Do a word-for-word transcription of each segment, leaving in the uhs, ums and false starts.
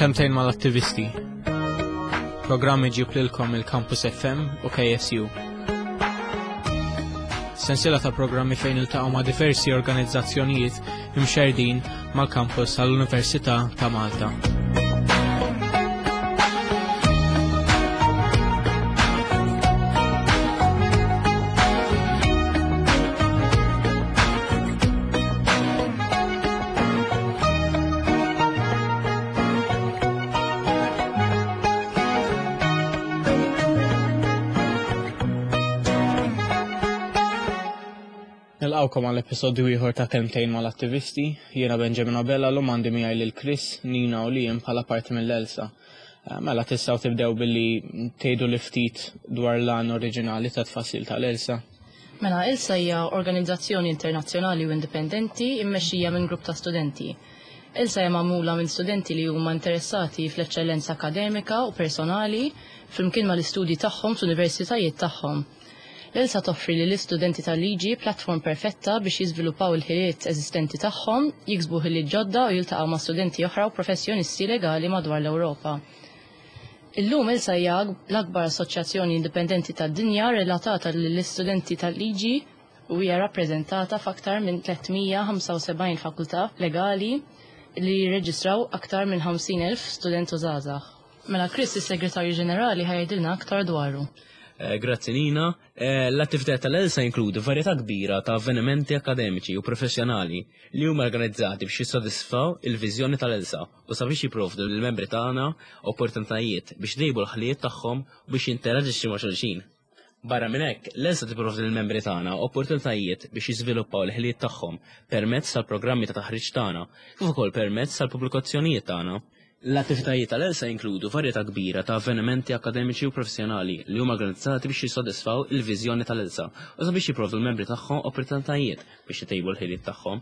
Kelmtejn mal-attivisti. Programm iġib lilkom il-Campus F M u K S U. Sensiela ta' programmi fejn iltaqgħu ma' diversi organizzazzjonijiet imxerdin mal-kampus tal-Università ta' Malta. Nilqawkom għal episodju ieħor ta' Kelmtejn mal-attivisti. Jiena Benjamin Abella, l għandi miegħi lil Chris, Nina u Liam bħala parti mill-ELSA. Eh, Mela tistgħu tibdew billi tgħidu li ftit dwar l-għan oriġinali ta' tfassil tal-ELSA. Mela, ELSA hija organizzazzjoni internazzjonali u indipendenti immexxija minn grupp ta' studenti. ELSA hija magħmula minn studenti li huma interessati fl-eċċellenza akademika u personali flimkien mal-istudji tagħhom fl-universitajiet tagħhom. L-ELSA toffri li l-istudenti tal-liġi platform perfetta biex jiżviluppaw il-ħiliet eżistenti tagħhom, jiksbu ħiliet ġodda u jiltaqgħu ma' studenti oħra u professjonisti legali madwar l-Ewropa. Illum ELSA hija l-akbar assoċjazzjoni indipendenti tad-dinja relatata lill-istudenti tal-liġi u hija rappreżentata f'aktar minn tliet mija u ħamsa u sebgħin fakultà legali li jirreġistraw aktar minn ħamsin elf student u żgħażagħ. Mela Chris, is-Segretarju Ġenerali, ħa jgħidilna aktar dwaru. Eh, Grazzi, Nina. Eh, L-attività tal-ELSA jinkludi varjetà kbira ta' avvenimenti akademiċi u professjonali li huma organizzati biex jissodisfaw il-viżjoni tal-ELSA u sabiex jipprovdu lill-membri tagħna opportunitajiet biex itejbu l-ħiliet tagħhom u biex jinteraġixxu ma' xulxin. Barra minn hekk, l-ELSA tipprovdi lill-membri tagħna opportunitajiet biex jiżviluppaw l-ħiliet tagħhom permezz tal-programmi ta' taħriġ tagħna, kif ukoll permezz tal-pubblikazzjonijiet tagħna. L-attivitajiet tal-ELSA jinkludu varjetà kbira ta' avvenimenti akademiċi u professjonali li huma organizzati biex jissodisfaw il-viżjoni tal-ELSA u sabiex jipprovdu l-membri tagħhom opportunitajiet biex itejbu l-ħiliet tagħhom.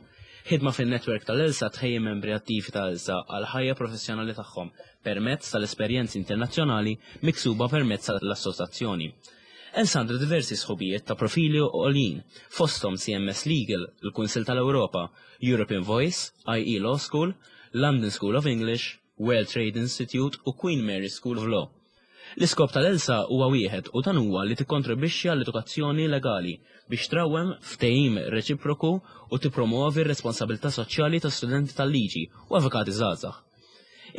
Ħidma fin-netwerk tal-ELSA tħejji membri attivi tal-ELSA għal ħajja professjonali tagħhom permezz tal-esperjenzi internazzjonali miksuba permezz tal-assoċjazzjoni. ELSA għandu diversi sħubijiet ta' profili għoljin, fosthom C M S Legal, il-Kunsil tal-Ewropa, European Voice, I E Law School, London School of English, World Trade Institute u Queen Mary School of Law. L-iskop tal-ELSA huwa wieħed u dan huwa li tikkontribwixxi għall-edukazzjoni legali biex trawwem ftehim reċiproku u tippromuovi r-responsabilità soċjali ta' studenti tal-liġi u avukati żgħażagħ.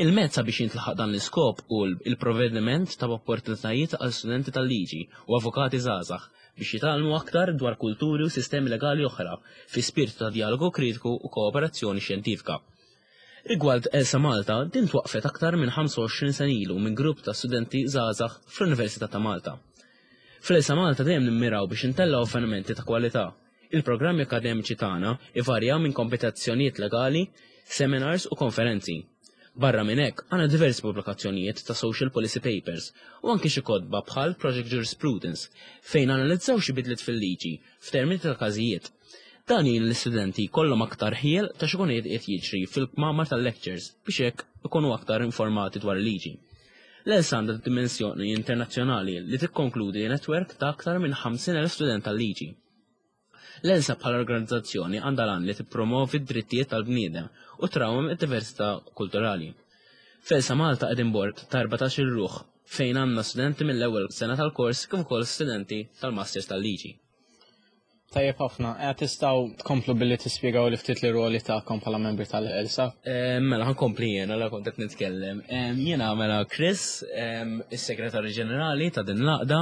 Il-mezz biex jintlaħaq dan l-iskop hu il-provvediment ta' opportunitajiet għal studenti tal-liġi u avukati żgħażagħ biex jitgħallmu aktar dwar kulturi u sistemi legali oħra fi spiritu ta' dialogu kritiku u kooperazzjoni xjentifika. Rigward ELSA Malta, din twaqfet aktar minn ħamsa u għoxrin sena ilu minn grupp ta' studenti żgħażagħ fl-Università ta' Malta. Fl-ELSA Malta dejjem nimmiraw biex intellgħu avvenimenti ta' kwalità. Il-programmi akademiċi tagħna ivarjaw minn kompetizzjonijiet legali, seminars u konferenzi. Barra minn hekk, għandna diversi pubblikazzjonijiet ta' social policy papers u anki xi kotba bħal Project Jurisprudence fejn analizzaw xi bidliet fil-liġi f'termini ta' każijiet. Dan jgħin l-istudenti jkollhom aktar ħjiel ta' x'ikun qed jiġri fil-kmamar tal-lectures biex hekk ikunu aktar informati dwar il-liġi. L-ELSA għandha dimensjoni internazzjonali li tikkonkludi netwerk ta' aktar minn ħamsin elf student tal-liġi. L-ELSA bħala organizzazzjoni għandha l-għan li tippromovi d-drittijiet tal-bniedem u trawwem id-diversità kulturali. F'ELSA Malta qegħdin bord ta' erbatax-il ruħ fejn għandna studenti mill-ewwel sena tal-kors kif ukoll studenti tal-Masters tal-Liġi. Tajjeb ħafna, eh, tistgħu tkomplu billi tispjegaw li ftit l-ruoli tagħkom bħala membri tal-ELSA. Eh, Mela, ħa nkompli jiena, la kont qed nitkellem. Eh, Jiena mela Chris, em, is-Segretarju Ġenerali ta' din l-għaqda,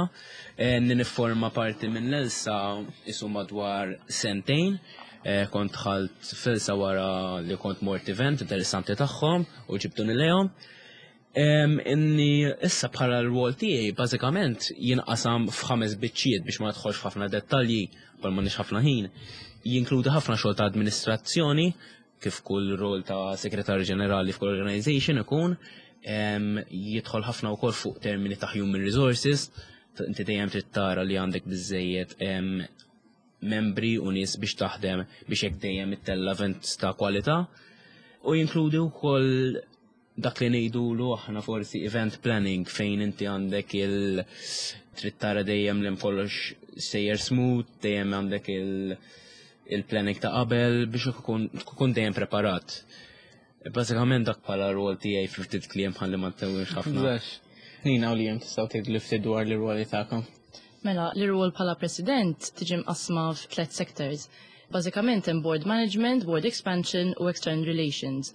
eh, nifforma parti minn l-ELSA isu madwar sentejn. Eh, Kont dħalt fl-ELSA wara li kont mort event interessanti tagħhom u ġibduni lejhom. Em, Inni issa bħala l-rwol tiegħi bażikament jinqasam f'ħames biċċiet biex ma nidħolx f'ħafna dettalji bħal m'għandniex ħafna ħin. Jinkludi ħafna xogħol ta' amministrazzjoni kif kull rol ta' segretarju ġenerali f'kull organization ikun, em, jidħol ħafna wkoll fuq termini ta' human resources, inti dejjem trid tara li għandek biżejjed em, membri u nies biex taħdem biex hekk dejjem ittella' events ta' kwalità u jinkludi wkoll dak li ngħidulu aħna forsi event planning fejn inti għandek il trid tara dejjem li kollox sejjer smooth, dejjem għandek il il-planning ta' qabel biex ikun tkun dejjem preparat. Bażikament dak bħala rol tiegħi fi ftit kliem ħalli ma ntewwilx ħafna. Bżax. Nina u Liam, tistgħu tgħidu li ftit dwar l-rwoli tagħkom? Mela, l-rwol bħala president tiġi mqasma f'tliet sectors. Bażikament hemm board management, board expansion u external relations.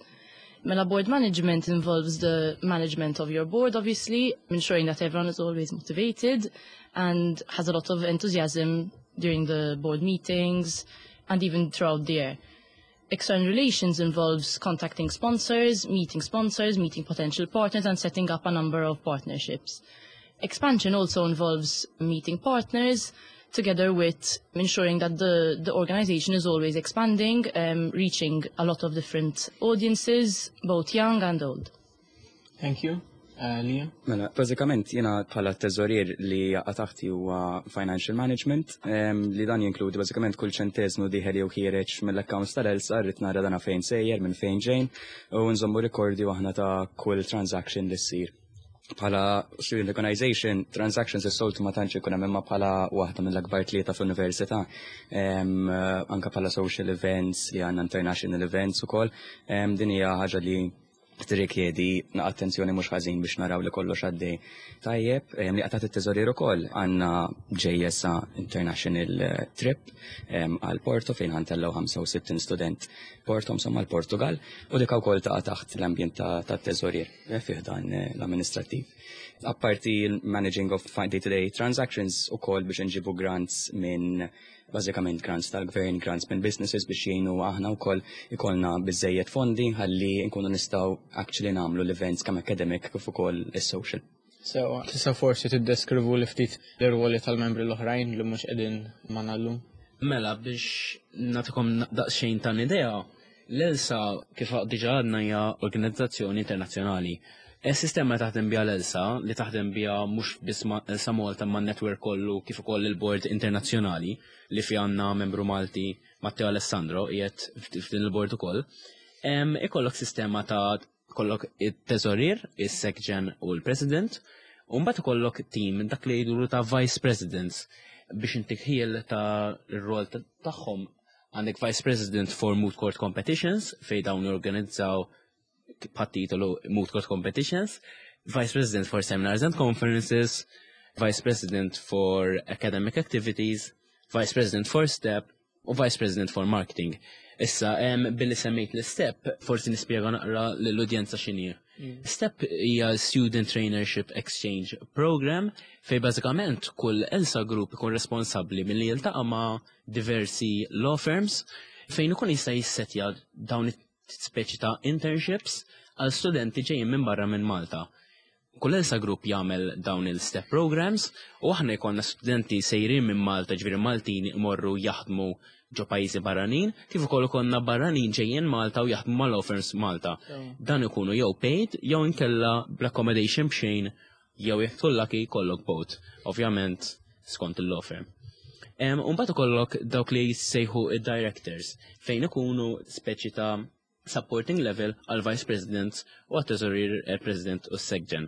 Mela, board management involves the management of your board, obviously, ensuring that everyone is always motivated and has a lot of enthusiasm during the board meetings and even throughout the year. External relations involves contacting sponsors, meeting sponsors, meeting potential partners, and setting up a number of partnerships. Expansion also involves meeting partners, together with ensuring that the, the organization is always expanding, um, reaching a lot of different audiences, both young and old. Thank you. Uh, Liam? Mela, bażikament jiena bħala teżorier li jaqa' taħti huwa financial management, em, li dan jinkludi bażikament kull ċentesmu dieħel jew ħiereġ mill-accounts tal-ELSA, rrid nara dana fejn sejjer, minn fejn ġejn, u nżommu rikordi aħna ta' kull transaction li ssir. Bħala student organization, transactions is-soltu ma tantx ikun hemm, imma bħala waħda mill-akbar tlieta fl-università, em, anka bħala social events li għandna, international events ukoll, em, din hija ħaġa li tirrikjedi attenzjoni mhux ħażin biex naraw li kollox għaddej tajjeb. Em, li qatat it-teżorier ukoll għandna ġejjesa International eh, Trip em, għal Porto fejn ħa ntellgħu ħamsa u sittin student Porto, insomma l-Portugal, u dik ukoll taqa' taħt l-ambjent ta' tat-teżorier eh, fih dan eh, l-amministrattiv. Apparti l-managing of day-to-day transactions, ukoll biex nġibu grants minn, bażikament grants tal-gvern, grants minn businesses biex jgħinu aħna wkoll ikollna biżejjed fondi ħalli nkunu nistgħu actually nagħmlu l-events kemm academic kif ukoll is-social. So, tista' forsi tiddeskrivu li ftit l-rwoli tal-membri l-oħrajn li mhux qegħdin magħna llum? Mela, biex nagħtikom daqsxejn ta' idea, l-ELSA, kif diġa għadna, hija organizzazzjoni internazzjonali. Il-sistema taħdem bija l-ELSA, li taħdem bija mhux biss ma' ELSA Malta ma' network kollu kif ukoll il-board internazzjonali li fi għandna membru Malti, Matteo Alessandro, qiegħed f'din il-board ukoll. Em, Ikollok sistema ta' kollok it-teżorier, is-secgen u l-president, u mbagħad ikollok team dak li jgħidulu ta' vice presidents. Biex intik ħjiel ta' r-rol ta- tagħhom, għandek vice president for moot court competitions fej dawn jorganizzaw bħat-titolu moot court competitions, vice president for seminars and conferences, vice president for academic activities, vice president for STEP u vice president for marketing. Issa, em, billi semmejt l-STEP, forsi nispjega naqra l-udjenza x'inhi. STEP hija Student Traineeship Exchange Program fej bażikament kull ELSA Group ikun responsabbli milli jiltaqa' ma' diversi law firms fejn ikun jista' jissetja dawn it-speċi ta' internships għal studenti ġejjin minn barra minn Malta. Kull ELSA Group jagħmel dawn il-STEP programs u aħna jkollna studenti sejrin minn Malta, ġifieri Maltin, imorru jaħdmu ġo pajjiżi barranin, kif ukoll ikollna barranin ġejjin Malta u jaħdmu ma' law firms Malta. Dan ikunu jew paid jew inkella bl-accommodation b'xejn jew jekk tkun lucky jkollok both, ovvjament skont il-law firm. Um, Umbagħad ikollok dawk li jissejħu id-directors fejn ikunu speċi ta' supporting level għal vice president u għat teżorier, eh, president u secgen.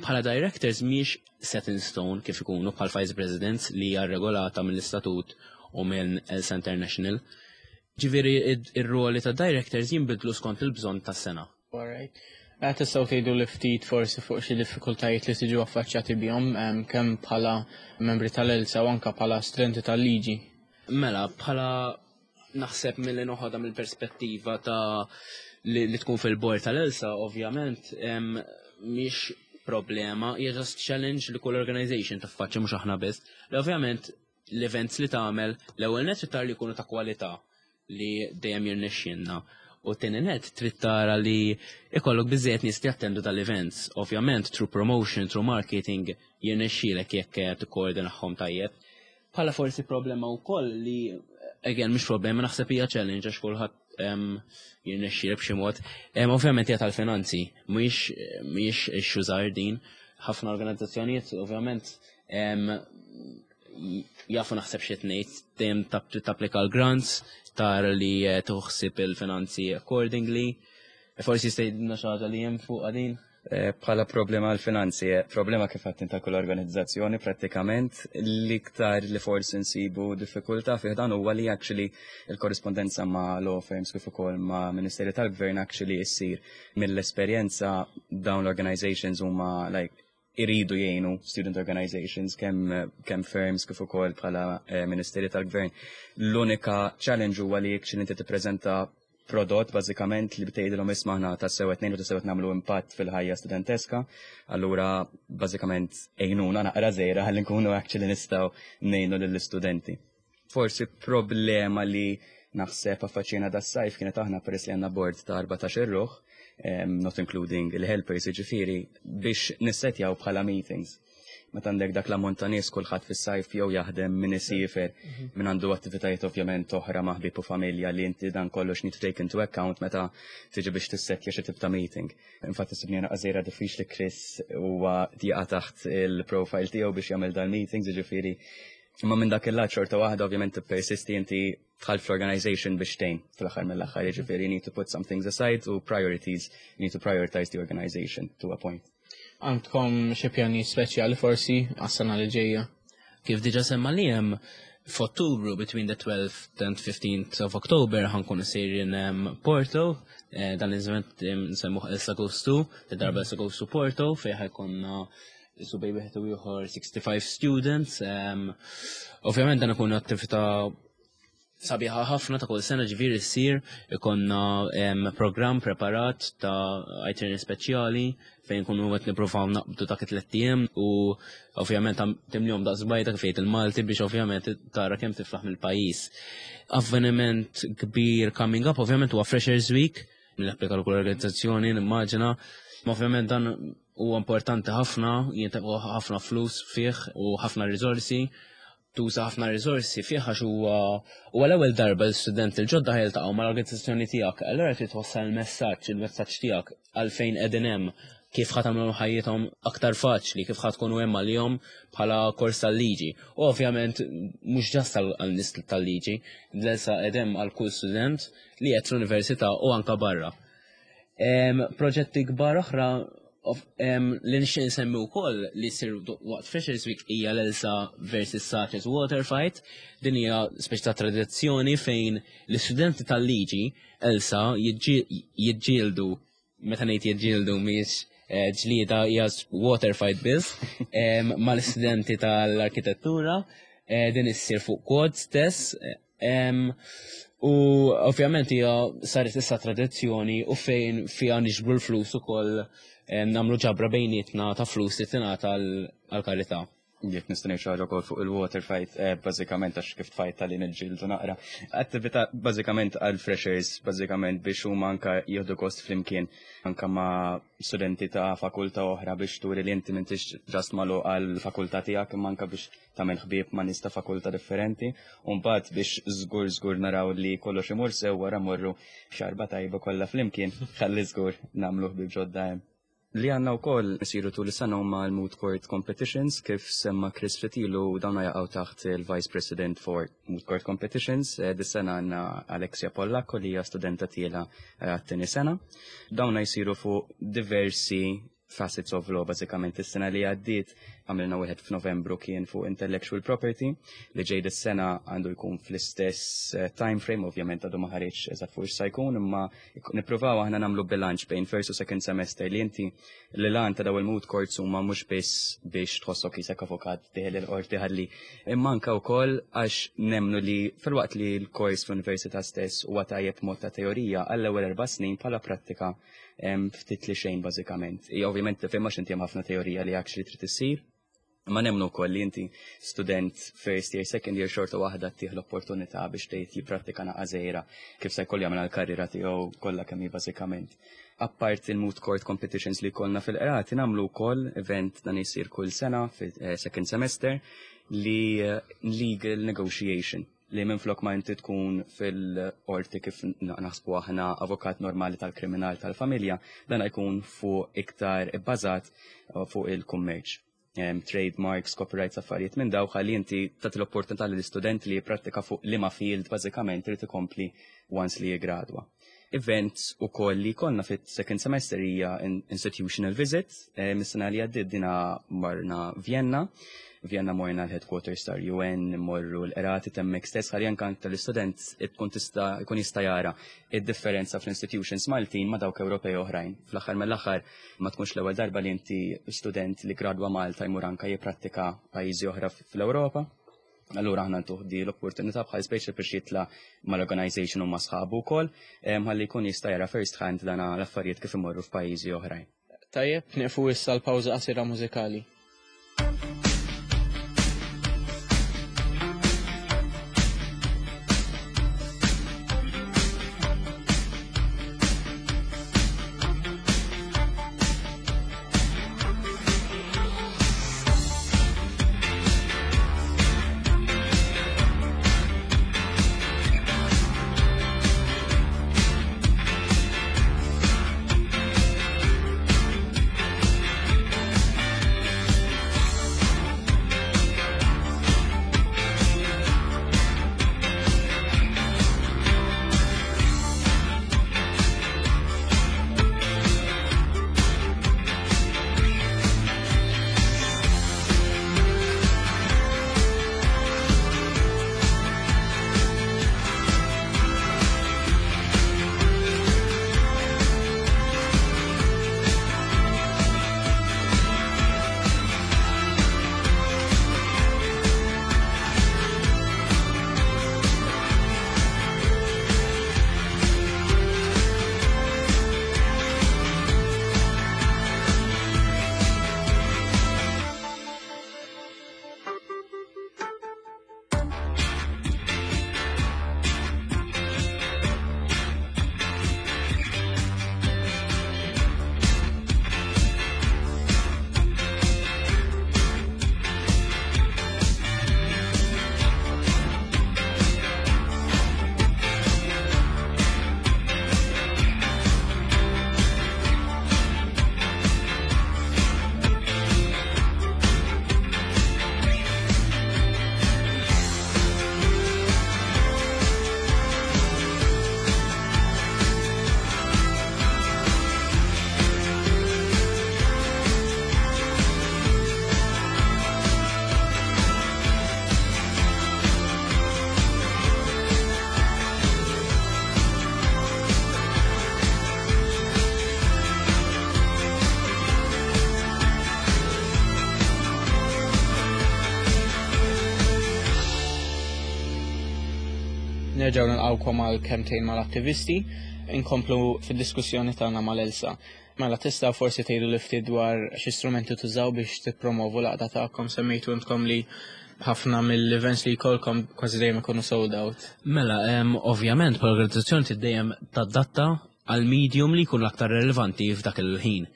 Bħala directors miex set in stone kif ikunu bħal vice presidents li hija regolata mill-istatut u minn ELSA International. Ġifieri ir-ruoli ta' directors jinbidlu skont il-bżonn tas-sena. Alright. Eh, Tistgħu tgħidu li ftit forsi fuq xi diffikultajiet li tiġu affaċċjati bihom em, kemm bħala membri tal-ELSA u anka bħala studenti tal-liġi? Mela, bħala naħseb mill-li noħodha mill-perspettiva ta' li, li tkun fil-bord tal-ELSA, ovvjament, em, mhix problema, hija just challenge li kull organization taffaċċja, mhux aħna biss. Li ovvjament l-events li tagħmel, l-ewwel net trid tara li jkunu ta' kwalità, li dejjem jirnexxielna. U tieni net trid tara li ikollok biżejjed nies li jattendu tal-events. Ovvjament through promotion, through marketing jirnexxielek jekk tikkoordinahom tajjeb. Bħala forsi problema wkoll li, again, mhux problema, naħseb hija challenge għax kulħadd em, jirnexxielek b'xi mod. Em, Ovvjament hija tal-finanzi, mhijiex mhijiex issue żgħar din. Ħafna organizzazzjonijiet ovvjament em, jafu naħseb xi ngħid, dejjem tap- tapplika l-grants, tara li eh, tuħsib il-finanzi accordingly. Forsi jista' jgħidilna xi ħaġa li hemm fuq għadin. Eh, bħala problema għal-finanzi, eh, problema kif għattin ta' kull organizzazzjoni prattikament, l-iktar li forsi nsibu diffikultà fih dan huwa li actually il-korrispondenza ma' law firms kif ukoll ma' Ministeri tal-Gvern actually issir. Mill-esperjenza, dawn l-organizations huma like iridu jgħinu student organizations, kemm kemm firms kif ukoll bħala eh, Ministeri tal-Gvern. L-unika challenge huwa li actually inti tippreżenta prodott bażikament li btgħidilhom, "Isma', aħna tassew qed ngħinu, tassew qed nagħmlu impatt fil-ħajja studenteska, allura bażikament għinuna naqra żgħira ħalli nkunu actually nistgħu ngħinu lill-istudenti." Forsi problema li naħseb affaċċjajna das-sajf kienet aħna, peress li għandna board ta' erbatax-il ruħ, um, not including il-helpers, ġifieri, biex nissetjaw bħala meetings. Meta għandek dak l-ammont ta' nies, kulħadd fis-sajf jew jaħdem, min isiefer, min għandu attivitajiet ovvjament oħra ma' ħbieb u familja, li inti dan kollox need to take into account meta tiġi biex tissetja xi tip ta' meeting. Infatti sibni żgħira diffiċli, Chris huwa jaqa' taħt il-profile tiegħu biex jagħmel dal-meetings, ġifieri. Imma minn dak il-lat xorta waħda ovvjament persisti, inti dħalt fl-organization biex tgħin fl-aħħar mill-aħħar, jiġifieri you need to put some things aside u priorities, you need to prioritize the organization to a point. Għandkom xi pjani speċjali forsi għas-sena li ġejja? Kif diġa semma li hemm, f'Ottubru, between the twelfth and fifteenth of October, ħa nkunu sejrin um, Porto, eh, dan l-event nsemmuh Elsa Goes To, darba Elsa Goes to Porto, fejn ħa jkollna su bejn wieħed u ieħor sixty-five students. Um, ovvjament dan ikun attività sabiħa ħafna ta' kull sena, ġifieri ssir, ikollna um, program preparat ta' itinerary speċjali fejn kunu qed nippruvaw naqbdu ta' tliet ijiem u ovvjament timlihom daqs bajda, kif jgħid il-Malti, biex ovvjament tara kemm tiflaħ mill-pajjiż. Avveniment kbir coming up ovvjament huwa Freshers Week, li kull organizzazzjoni nimmaġina. Ma ovvjament dan huwa importanti ħafna, jintefqu ħafna flus fih u ħafna riżorsi, tuża ħafna riżorsi fih għax huwa huwa l-ewwel darba l-student il-ġodda jiltaqgħu mal-organizzazzjoni tiegħek. Allura trid twassal il-messaġġ, il-messaġġ tiegħek għalfejn qegħdin hemm, kif ħa tagħmlu ħajjithom aktar faċli, kif ħa tkunu hemm għalihom bħala kors tal-liġi. U ovvjament mhux just għal nies tal-liġi, l-ELSA qegħdem għal kull student li qed l-università u anka barra. Proġetti kbar oħra li nixtieq nsemmi wkoll li jsir waqt Freshers Week hija l-Elsa versus Saces Water Fight. Din hija speċi ta' tradizzjoni fejn l-istudenti tal-liġi Elsa jiġġieldu, meta ngħid jiġġieldu mhijiex eh, ġlieda, hija water fight biss, mal-istudenti tal-arkitettura. Eh, din issir fuq quad stess. U ovvjament hija saret issa tradizzjoni u fejn fiha niġbru l-flus ukoll, nagħmlu ġabra bejnietna ta' flus li tingħata għal-karità. Jekk nista' ngħid xi ħaġa wkoll fuq il-water fight, eh, bażikament għax kif tfajt tal niġġieldu naqra. Attività bażikament għal freshers, bażikament biex huma anka jieħdu gost flimkien anka ma' studenti ta' fakultà oħra, biex turi li inti m'intix just magħluq għal fakultà tiegħek, imma anka biex tagħmel ħbieb ma' nies ta' fakultà differenti. U mbagħad biex żgur żgur naraw li kollox imur sew, wara morru xarba tajba kollha flimkien, ħalli żgur nagħmlu ħbieb ġodda hemm. Li għandna wkoll isiru tul is-sena huma l-Moot Court Competitions, kif semma Chris Fitilu, dawn jaqgħu taħt il-Vice President for Moot Court Competitions. Eh, Dis-sena għandna Alexia Pollacco li hija studenta tiela eh, għat-tieni sena. Dawn jsiru fuq diversi facets of law. Bażikament is-sena li għaddiet għamilna wieħed f'Novembru, kien fuq intellectual property, li ġej dis-sena għandu jkun fl-istess eh, time frame, ovvjament għadu ma ħareġ eżatt fuq x'sa jkun, imma nippruvaw aħna nagħmlu bilanċ bejn first u second semester, li inti li lan ta' daw il-moot courts huma mhux biss biex tħossok qisek avukat dieħel il-qorti ħalli, imma anke wkoll għax nemmnu li filwaqt li l-kors fl-università stess huwa tajjeb mod ta' teorija għall-ewwel erba' snin, bħala prattika ftit li xejn bażikament. Hija ovvjament tifhem għax inti hemm ħafna teorija li actually trid issir. Ma nemmnu wkoll li inti student first year, second year, xorta waħda ttih l-opportunità biex tgħid jipprattika naqra żgħira kif se jkollu jagħmel għall-karriera tiegħu kollha kemm hi bażikament. Apart il-moot court competitions li kollna fil-qrati, nagħmlu wkoll event, dan jsir kull sena fil-second semester, li eh, legal negotiation, li minflok ma inti tkun fil-qorti kif naħsbu aħna, avukat normali tal-kriminal, tal-familja, dan jkun fuq iktar ibbażat uh, fuq il-kummerċ. Um, trademarks, copyrights, affarijiet minn daw, ħalli inti tagħti l-opportunità lill-istudent li jipprattika fuq liema field bażikament irid ikompli once li jigradwa. Events ukoll li konna fit-second semester hija institutional visit, eh, mis-sena li għaddiet dina marna Vienna. Vienna morna l-headquarters tal-U N, morru l-qrati hemmhekk stess, ħalli anke tal-istudent tkun tista' jkun jista' jara id-differenza fl-institutions Maltin ma' dawk Ewropej oħrajn. Fl-aħħar mill-aħħar ma tkunx l-ewwel darba li inti student li gradwa Malta jmur anke jipprattika pajjiżi oħra fl-Ewropa. Allura aħna ntuh di l-opportunità bħal speċi biex jitla mal-organization u ma' sħabu wkoll, ħalli jkun jista' jara first hand dana l-affarijiet kif imorru f'pajjiżi oħrajn. Tajjeb, nieqfu issa l-pawża qasira mużikali. Nerġgħu nilqawkom għal Kelmtejn mal-Attivisti, inkomplu fid-diskussjoni tagħna mal-ELSA. Mela tista' forsi tgħidu li ftit dwar xi strumenti tużaw biex tippromovu l-għaqda tagħkom? Semmejtu intkom li ħafna mill-events li jkollkom kważi dejjem ikunu sold out. Mela, em, ovvjament, bħala organizzazzjoni trid dejjem tadatta għal medium li jkun l-aktar relevanti f'dak il-ħin.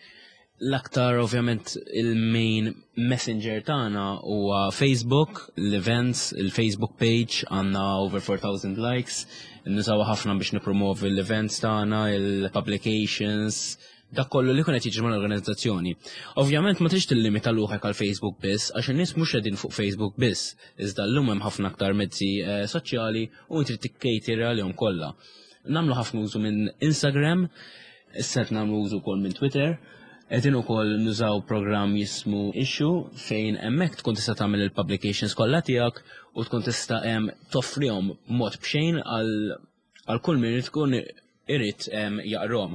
L-aktar, ovvjament, il-main messenger tagħna huwa Facebook, l-events, il-Facebook page għandna over four thousand likes, nużaw ħafna biex nipromovi l-events tagħna, il-publications, dak kollu li kun qed jiġri mal-organizzazzjoni. Ovvjament ma trix tillimita ruħek għal Facebook biss, għax in-nies mhux qegħdin fuq Facebook biss, iżda llum hemm ħafna aktar mezzi eh, soċjali u trid tikkejtira għalihom kollha. Nagħmlu ħafna użu minn Instagram, issa qed nagħmlu użu wkoll minn Twitter, qegħdin ukoll nużaw programm jismu Issue, fejn hemmhekk tkun tista' tagħmel il-publications kollha tiegħek u tkun tista' em, toffrihom mod b'xejn għal għal kull min tkun irid em, jaqrom.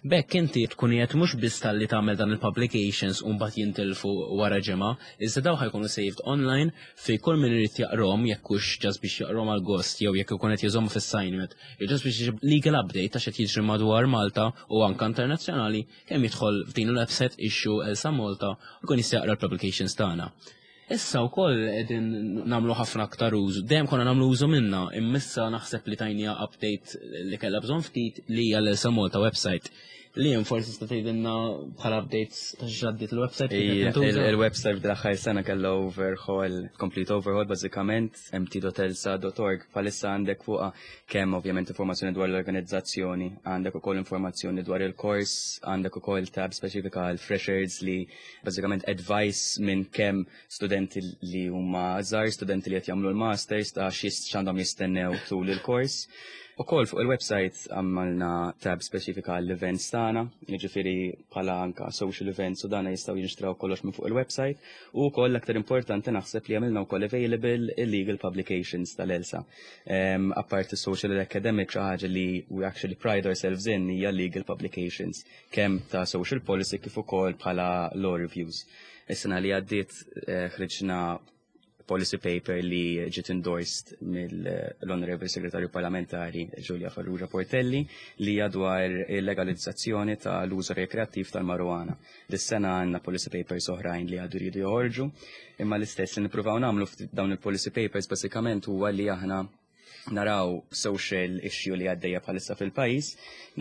B'hekk inti tkun qed mhux biss talli tagħmel dan il-publications u mbagħad jintilfu wara ġimgħa, iżda daw ħa jkunu saved online fej kull min irid jaqrom, jekk hux just biex jaqrom għal gost jew jekk ikun qed jużahom fis-assignment, jew just biex jġib legal update ta' x'qed jiġri madwar Malta u anke internazzjonali, kemm jidħol f'din il-website Issue ELSA Malta u jkun jista' jaqra l-publications tagħna. Issa wkoll qegħdin nagħmlu ħafna aktar użu, dejjem konna nagħmlu użu minna, imma issa naħseb li tajniha update li kellha bżonn ftit, li hija l-ELSA Malta website. Li hemm forsi tista' tgħidilna bħala updates ta' x'għaddiet il-website kif qed tintuża? Il-website bl-aħħar sena kellha overhaul, complete overhaul bażikament, m t dot elsa dot org. Bħalissa għandek fuqha kemm ovvjament informazzjoni dwar l-organizzazzjoni, għandek ukoll informazzjoni dwar il-kors, għandek ukoll tab speċifika għal freshers li bażikament advice minn kemm studenti li huma żgħar, studenti li qed jagħmlu l-masters, ta' x'għandhom jistennew tul il-kors. Ukoll fuq il-website għamilna tab speċifika għall-events tagħna, jiġifieri bħala anka social events u dana jistgħu jinxtraw kollox minn fuq il-website, u wkoll l-aktar importanti naħseb li għamilna wkoll available il-legal publications tal-ELSA. Um, apart social and academic, xi ħaġa li we actually pride ourselves in hija legal publications, kemm ta' social policy kif ukoll bħala law reviews. Is-sena li għaddiet eh, ħriġna policy paper li ġiet endorsed mill-Honorable Segretarju Parlamentari Julia Farrugia Portelli li hija dwar il-legalizzazzjoni tal-użu rekreattiv tal-marijuana. Dis-sena għandna policy papers oħrajn li għadu jridu joħorġu, imma l-istess li nippruvaw nagħmlu f'dawn il-policy papers basikament huwa li aħna naraw social issue li għaddejja bħalissa fil-pajjiż,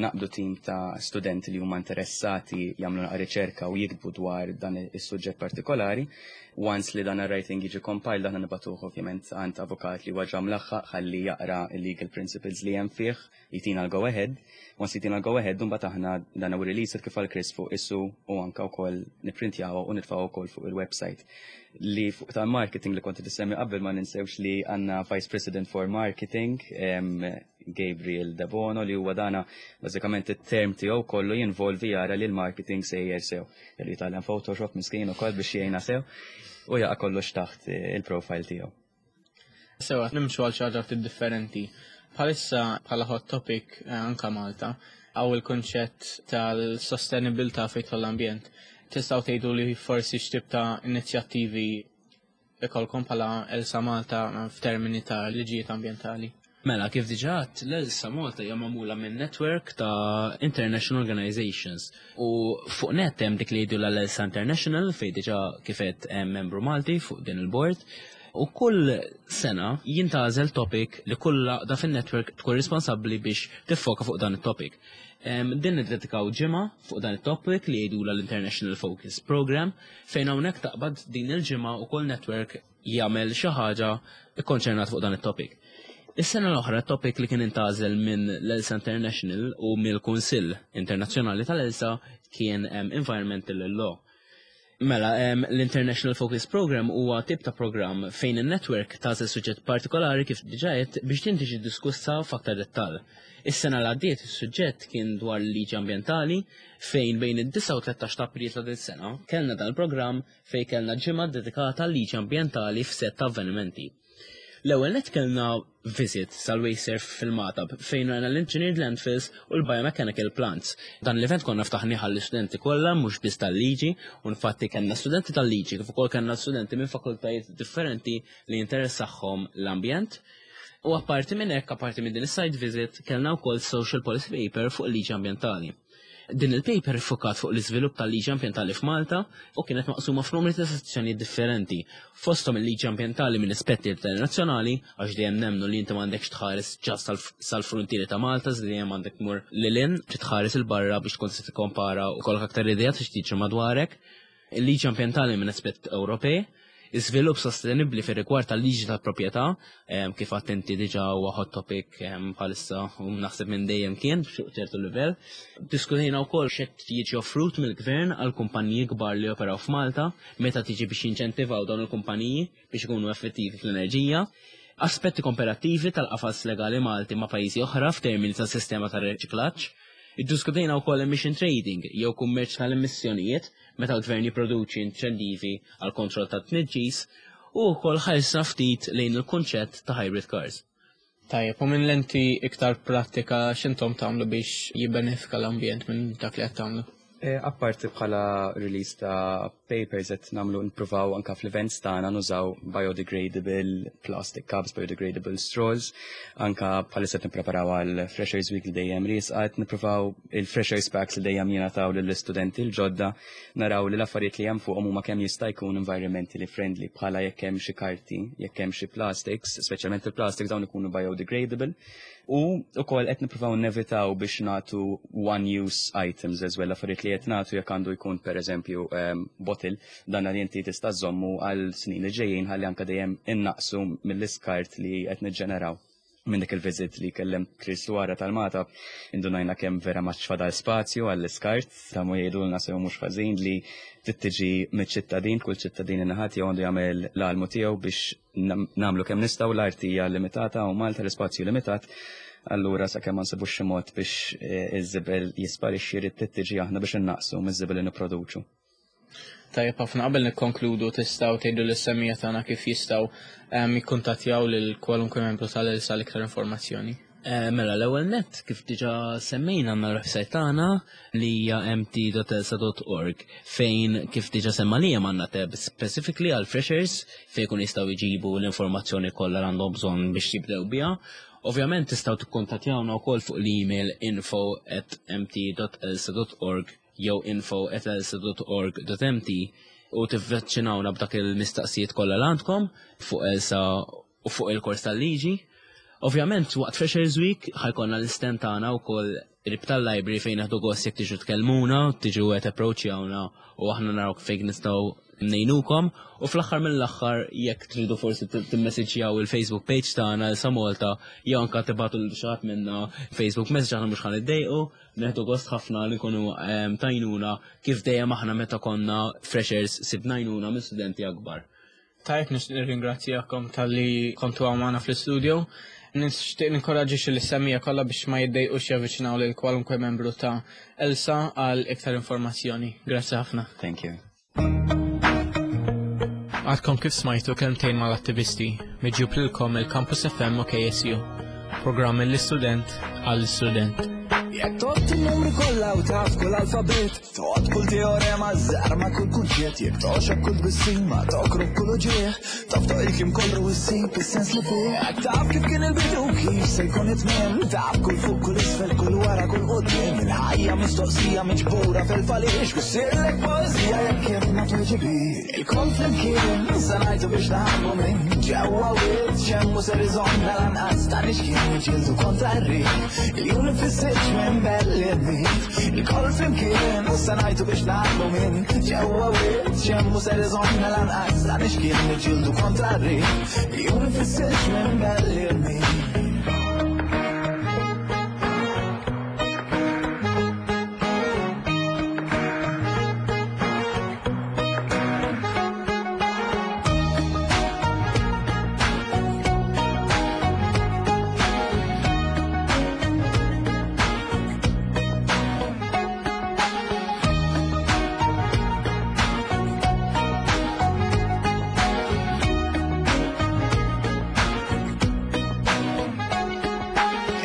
naqbdu tim ta' studenti li huma interessati jagħmlu naqra riċerka u jiktbu dwar dan is-suġġett partikolari. Once li dan ir-writing jiġi compiled, aħna nibagħtuh ovvjament għand avukat li huwa ġa mlaħħaq ħalli jaqra il-legal principles li hemm fih, jitina l-go ahead. Once jitina l-go ahead, mbagħad aħna dan u release kif għal Chris fuq issu u anka wkoll nipprintjaw u nitfgħu wkoll fuq il-website. Li fuq tal-marketing li kont tissemmi qabel, ma ninsewx li għandna Vice President for Marketing, Gabriel Debono, li huwa dana bażikament it-term tiegħu kollu jinvolvi jara li l-marketing sejjer sew. Li jitgħallem Photoshop miskin ukoll biex jgħinna sew u jaqa' kollox taħt il-profile tiegħu. Sewa, nimxu għal xi ħaġa ftit differenti. Bħalissa bħala hot topic eh, anka Malta, hawn il-konċett tal-sostenibilità fejn l-ambjent. Tistgħu tgħidu li forsi x'tip ta' inizjattivi ikolkom bħala ELSA Malta f'termini ta' liġijiet ambjentali? Mela, kif diġà għedt, l-ELSA Malta hija magħmula minn network ta' international organizations. U fuq net hemm dik li jgħidu l-ELSA International, fejn diġà kif għedt hemm membru Malti fuq din il-board. U kull sena jintgħażel topic li kull għaqda fin-network tkun responsabbli biex tiffoka fuq dan it-topic. Din niddedikaw ġimgħa fuq dan it-topic li jgħidu l-International Focus Program, fejn hawnhekk taqbad din il-ġimgħa u kull network jagħmel xi ħaġa ikkonċernat fuq dan it-topic. Is-sena l-oħra, topic li kien intgħażel minn l-ELSA International u mill-Kunsill Internazzjonali tal-ELSA kien Environmental Law. Mela, l-International Focus Program huwa tip ta' program fejn il-network tagħżel suġġett partikolari, kif diġà għedt, biex din tiġi diskussa f'aktar dettall. Is-sena l għaddiet is-suġġett kien dwar l-liġi ambjentali, fejn bejn id-disgħa u tlettax ta' April ta' din sena kellna dan il-programm fejn kellna ġimgħa dedikata l-liġi ambjentali f'set ta' avvenimenti. L-ewwel net kellna visit sal-Wasteserv fil-Magħtab, fejn rajna l-Engineered Landfills u l-Biomechanical Plants. Dan l-event konna ftaħnieh għall-istudenti kollha, mhux biss tal-liġi, u infatti kellna studenti tal-liġi kif ukoll kellna studenti minn fakultajiet differenti li jinteressahom l-ambjent. U apparti minn hekk, apparti minn din is-site visit, kellna wkoll social policy paper fuq il-liġi ambjentali. Din il-paper iffukat fuq l-iżvilupp tal-liġi ambjentali f'Malta u kienet maqsuma f'numri ta' sezzjoni differenti. Fosthom il-liġi ambjentali minn aspetti internazzjonali, għax dejjem nemnu li inti m'għandekx tħares ġas sal-frontieri ta' Malta, dejjem għandek tmur lil hinn, tħares 'il barra biex tkun tista' tikkompara u jkollok aktar idea ta' x'tiġri madwarek. Il-liġi ambjentali minn aspett Ewropej, iżvilupp sostenibbli fir rigward tal-liġi tal-proprjetà, kif attenti diġà huwa hot topic bħalissa u naħseb minn dejjem kien fuq ċertu livell. Diskutejna wkoll x'qed jiġi offrut mill-gvern għal kumpaniji kbar li operaw f'Malta meta tiġi biex jinċentivaw dawn il-kumpaniji biex ikunu effettivi fl-enerġija. Aspetti komparativi tal-qafas legali Malti ma' pajjiżi oħra f'termini ta' sistema ta' riċiklaġġ. Iddiskutejna wkoll emission trading jew kummerċ tal-emissjonijiet meta l-gvern jipproduċi inċentivi għal kontroll ta' tniġġis u wkoll ħarisna ftit lejn il-kunċett ta' hybrid cars. Tajjeb, u minn lenti iktar pratika, x'intom tagħmlu biex jibbenefika l-ambjent minn dak li qed tagħmlu? E, apparti bħala release ta' papers, qed nagħmlu, nippruvaw anka fl-events tagħna nużaw biodegradable plastic cups, biodegradable straws, anka bħalissa qed nippreparaw għal Freshers Week li dejjem riesqa, qed nippruvaw il-Freshers Packs li dejjem jingħataw lill-istudenti l-ġodda, naraw li l-affarijiet li hemm fuqhom huma kemm jista' jkun environmentally friendly, bħala jekk hemm xi karti, jekk hemm xi plastics, speċjalment il-plastics, dawn ikunu biodegradable. U wkoll qed nippruvaw nevitaw biex nagħtu one use items as well. Affarijiet li qed nagħtu, jekk għandu jkun pereżempju um, bottle, dan li inti tista' żommu għal snin li ġejjin, ħalli anke dejjem innaqsu mill-iskart li qed niġġeneraw. Minn dik il-visit li kellem Chris wara tal-Magħtab, indunajna kemm vera ma fadal spazju għall-iskart, ta' mu jgħidulna sew mhux ħażin li tittiġi mill-ċittadin, kull ċittadin in-naħat jew għandu jagħmel l-almu tiegħu biex nagħmlu kemm nistgħu. L-art hija limitata u Malta l-ispazju limitat. Allura sakemm ma nsibux xi mod biex eh, iż-żibel jisparixxi jrid tiġi aħna biex innaqsu miż-żibel li nipproduċu. Tajjeb ħafna, qabel nikkonkludu tistgħu tgħidu lis-semmiegħa tagħna kif jistgħu ehm, jikkuntattjaw lil kwalunkwe membru tal-ELSA l-iktar informazzjoni. Eh, mela, l-ewwel net, kif diġà semmejna, għandna l-website tagħna li hija m t dot elsa dot org fejn, kif diġà semma li għandna tab specifically għal freshers fejn kun jistgħu jġibu l-informazzjoni kollha li għandhom bżonn biex jibdew biha. Ovvjament tistgħu tikkuntattjawna wkoll fuq l-email info at m t dot elsa dot org jew info at elsa dot org dot m t u tivveċinawna b'dak il-mistaqsijiet kollha li għandkom fuq ELSA u fuq il-kors tal-liġi. Ovvjament, waqt Freshers Week ħa jkollna l-stand tagħna wkoll qrib tal-library fejn nieħdu gost jekk tiġu tkellmuna, tiġu qed approachjawna u aħna naraw fejn nistgħu ngħinukom. U fl-aħħar mill-aħħar, jekk tridu forsi timmessaġġjaw il-Facebook page tagħna ELSA Malta jew anke tibagħtu lil xi ħadd minna Facebook message, aħna mhux ħa niddejqu, nieħdu gost ħafna li nkunu ehm, t'għajnuna kif dejjem aħna meta konna freshers sibna għajnuna minn studenti akbar. Tajjeb, nirringrazzjakom talli kontu magħna fl-studio. Nixtieq ninkoraġġi lis-semmiegħa kollha biex ma jiddejqux javviċinaw lil kwalunkwe membru ta' ELSA għal iktar informazzjoni. Grazzi ħafna. Thank you. Għadkom kif smajtu Kelmtejn mal-Attivisti, miġjub lilkom il-Campus F M u K S U. Programm mill-istudent għall-istudent. Jekk tgħodd in-numri kollha u taf kull alfabet, tgħodd kull teorema, żarma kull kunċett, jekk togħxok kull tbissima, tokrob kull uġigħ, taf il-kliem kollu u ssib is-sens li fih. Jekk taf kif kien il-bidu kif se jkun it-tmiem, taf kull fuq, kull isfel, kull wara, kull quddiem, il-ħajja mistoqsija miġbura fil-faliex, u ssirlek poeżija jekk kif ma tweġibi. Ilkoll flimkien sa ngħidu biex naħarbu minn ġewwa wied xemmu ser iżommna lanqas ta' nixkien niġġieldu kontra r-riħ. Il-jum li fis-silġ minn belli bit. Ilkoll flimkien sa ngħidu biex naħarbu minn ġewwa wied xemmu ser iżommna lanqas ta' nixkien niġġieldu kontra r-riħ. Il-jum li fis-silġ minn belli bit.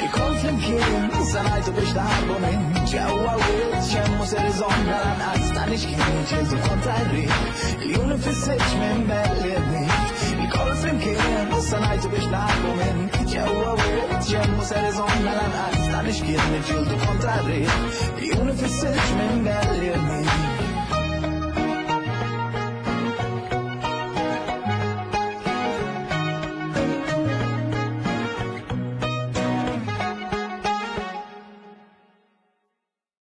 Ilkoll flimkien sa ngħidu biex naħarbu minn ġewwa wied xemmu ser iżommna lanqas ta' nixkien niġġieldu kontra r-riħ. Il-jum li fis-silġ minn belli bit. Ilkoll flimkien sa ngħidu biex naħarbu minn ġewwa wied xemmu ser iżommna lanqas ta' nixkien niġġieldu kontra r-riħ.